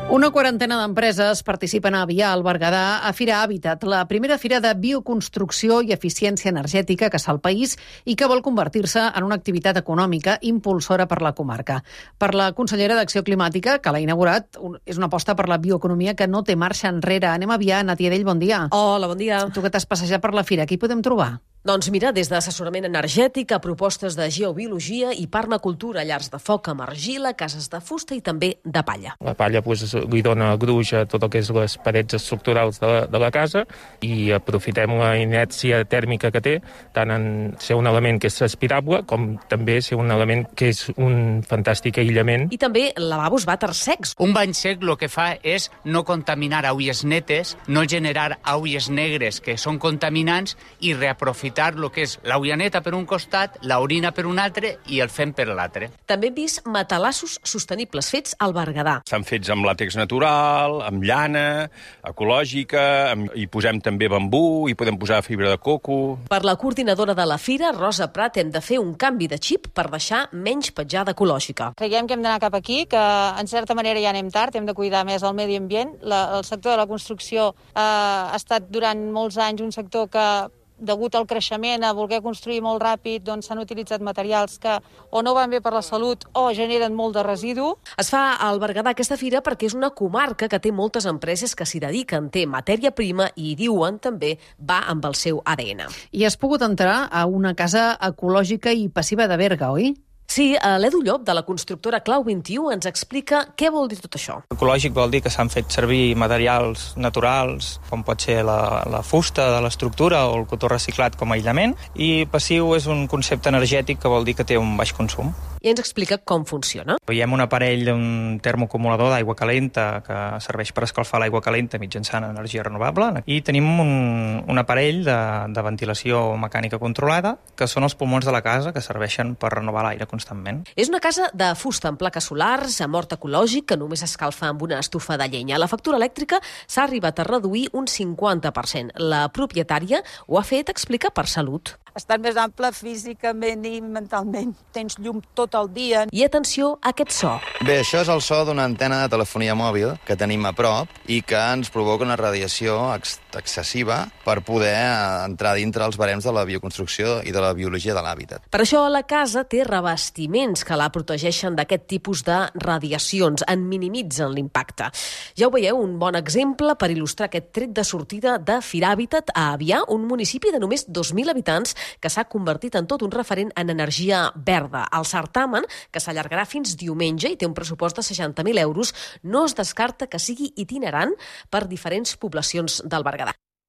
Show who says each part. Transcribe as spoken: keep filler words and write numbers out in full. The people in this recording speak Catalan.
Speaker 1: Una quarantena d'empreses participen a Avià, al Berguedà, a Fira Hàbitat, la primera fira de bioconstrucció i eficiència energètica que es fa al país i que vol convertir-se en una activitat econòmica impulsora per la comarca. Per la consellera d'Acció Climàtica, que l'ha inaugurat, és una aposta per la bioeconomia que no té marxa enrere. Anem a Avià. Natia Dell, bon dia.
Speaker 2: Hola, bon dia.
Speaker 1: Tu que t'has passejat per la fira, què hi podem trobar?
Speaker 2: Doncs mira, des d'assessorament energètic a propostes de geobiologia i permacultura, llars de foc amb argila, cases de fusta i també de palla.
Speaker 3: La palla pues, li dona gruix a tot el que és les parets estructurals de la, de la casa i aprofitem la inèrcia tèrmica que té, tant en ser un element que és aspirable com també ser un element que és un fantàstic aïllament.
Speaker 2: I també lavabos vàter secs.
Speaker 4: Un bany sec el que fa és no contaminar aigües netes, no generar aigües negres que són contaminants i reaprofitar el que és l'aigua neta per un costat, l'orina per un altre i el fem per l'altre.
Speaker 2: També hem vist matalassos sostenibles fets al Berguedà.
Speaker 5: Estan fets amb làtex natural, amb llana, ecològica, amb, hi posem també bambú, hi podem posar fibra de coco.
Speaker 2: Per la coordinadora de la fira, Rosa Prat, hem de fer un canvi de xip per deixar menys petjada ecològica.
Speaker 6: Creiem que hem d'anar cap aquí, que en certa manera ja anem tard, hem de cuidar més el medi ambient. La, el sector de la construcció eh, ha estat durant molts anys un sector que degut al creixement, a voler construir molt ràpid, doncs s'han utilitzat materials que o no van bé per la salut o generen molt de residu.
Speaker 2: Es fa al Berguedà aquesta fira perquè és una comarca que té moltes empreses que s'hi dediquen, té matèria prima i, diuen, també va amb el seu A D N.
Speaker 1: I has pogut entrar a una casa ecològica i passiva de Berga, oi?
Speaker 2: Sí, l'Edu Llop, de la constructora Clau vint-i-u, ens explica què vol dir tot això.
Speaker 7: Ecològic vol dir que s'han fet servir materials naturals, com pot ser la, la fusta de l'estructura o el cotó reciclat com a aïllament, i passiu és un concepte energètic que vol dir que té un baix consum.
Speaker 2: I ens explica com funciona.
Speaker 7: Veiem un aparell d'un termoacumulador d'aigua calenta que serveix per escalfar l'aigua calenta mitjançant energia renovable, i tenim un, un aparell de, de ventilació mecànica controlada, que són els pulmons de la casa, que serveixen per renovar l'aire constantment.
Speaker 2: És una casa de fusta amb plaques solars, amb hort ecològic, que només escalfa amb una estufa de llenya. La factura elèctrica s'ha arribat a reduir un cinquanta per cent. La propietària ho ha fet, explica, per salut.
Speaker 6: Estar més ample físicament i mentalment. Tens llum tot el dia.
Speaker 2: I atenció a aquest so.
Speaker 8: Bé, això és el so d'una antena de telefonia mòbil que tenim a prop i que ens provoca una radiació ex excessiva per poder entrar dintre els barems de la bioconstrucció i de la biologia de l'hàbitat.
Speaker 2: Per això la casa té revestiments que la protegeixen d'aquest tipus de radiacions, en minimitzen l'impacte. Ja ho veieu, un bon exemple per il·lustrar aquest tret de sortida de Fira Hàbitat a Avià, un municipi de només dos mil habitants que s'ha convertit en tot un referent en energia verda. El certamen, que s'allargarà fins diumenge i té un pressupost de seixanta mil euros, no es descarta que sigui itinerant per diferents poblacions del Berguedà.